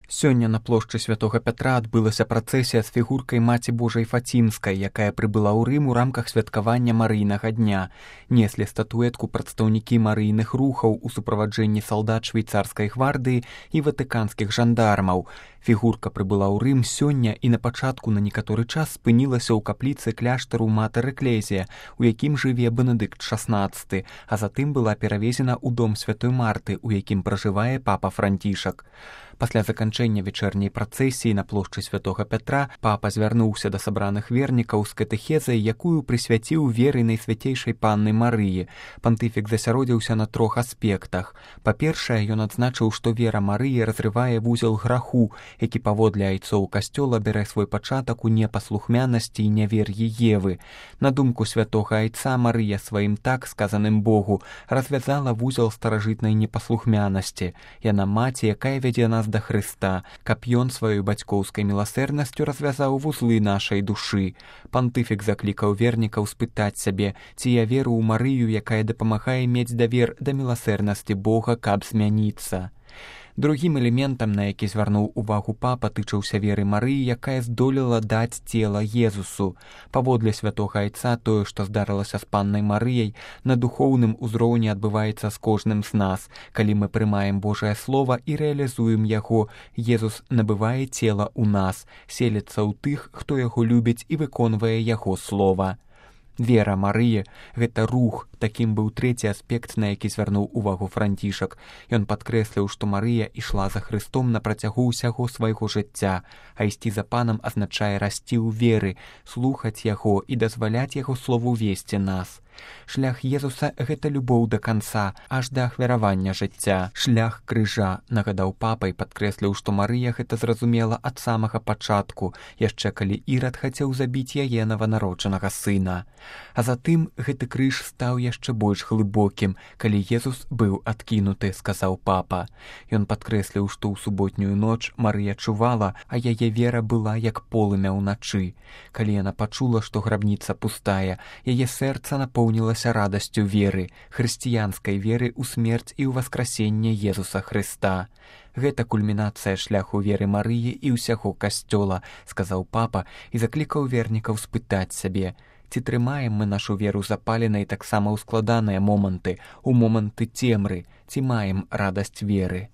Сёння на плошчы святога Пятра адбылася працэсія з фігуркай Маці Божай Фацімскай, якая прыбыла ў Рым у рамках святкавання Марыйнага дня. Неслі статуэтку прадстаўнікі марыйных рухаў у суправаджэнні салдат швейцарскай гвардыі і ватыканскіх жандармаў. Фігурка прыбыла ў Рым сёння і на пачатку на некаторы час спынілася ў капліцы кляштару Матэр Эклезія, у якім жыве Бенедыкт XVI, а затым была перавезена ў дом святой Марты, у якім пражывае папа Францішак. Пасля заканчэння вечэрняй працэсіі на плошчы святога Пятра папа звярнуўся да сабраных вернікаў з катэхезай, якую прысвяціў веры найсвяцейшай панны Марыі. Пантыфік засяродзіўся на 3 аспектах. Па-першае, ён адзначыў, што вера Марыі разрывае вузел граху, які паводле айцоў касцёла бярэ свой пачатак у непаслухмянасці і нявер'і Евы. На думку святога айца, Марыя сваім так сказаным Богу развязала вузел старажытнай непаслухмянасці. Яна маці, якая вядзе нас да Хрыста, каб ён сваёй бацькоўскай міласэрнасцю развязаў вузлы нашай душы. Пантыфік заклікаў вернікаў спытаць сябе, ці я веру ў Марыю, якая дапамагае мець давер да міласэрнасці Бога, каб змяніцца. Другім элементам, на які звярнуў увагу папа, тычыўся веры Марыі, якая здолела даць цела Езусу. Паводле святога айца, тое, што здарылася з паннай Марыяй, на духоўным узроўні адбываецца з кожным з нас. Калі мы прымаем Божае Слова і рэалізуем яго, Езус набывае цела ў нас, селіцца ў тых, хто яго любіць і выконвае яго слова. Вера Марыі – гэта рух, такім быў трэці аспект, на які звярнуў увагу Францішак. Ён падкрэсліў, што Марыя ішла за Хрыстом на працягу ўсяго свайго жыцця, а ісці за панам азначае расці ў веры, слухаць яго і дазваляць яго слову весці нас. Шлях Езуса – гэта любоў да канца, аж да ахвяравання жыцця. Шлях крыжа, нагадаў папа і падкрэсліў, што Марыя гэта зразумела ад самага пачатку, яшчэ калі Ірад хацеў забіць яе нованароджанага сына. А затым гэты крыж стаў яшчэ больш глыбокім, калі Езус быў адкінуты, сказаў папа. Ён падкрэсліў, што ў суботнюю ноч Марыя чувала, а яе вера была як полымя ўначы. Калі яна пачула, што грабніца пустая, яе сэрца напоўнілася радасцю веры, хрысціянскай веры ў смерць і ў васкрасенне Езуса Хрыста. Гэта кульмінацыя шляху веры Марыі і ўсяго касцёла, сказаў папа і заклікаў вернікаў спытаць сябе, ці трымаем мы нашу веру запаленай таксама ў складаныя моманты, у моманты цемры, ці маем радасць веры.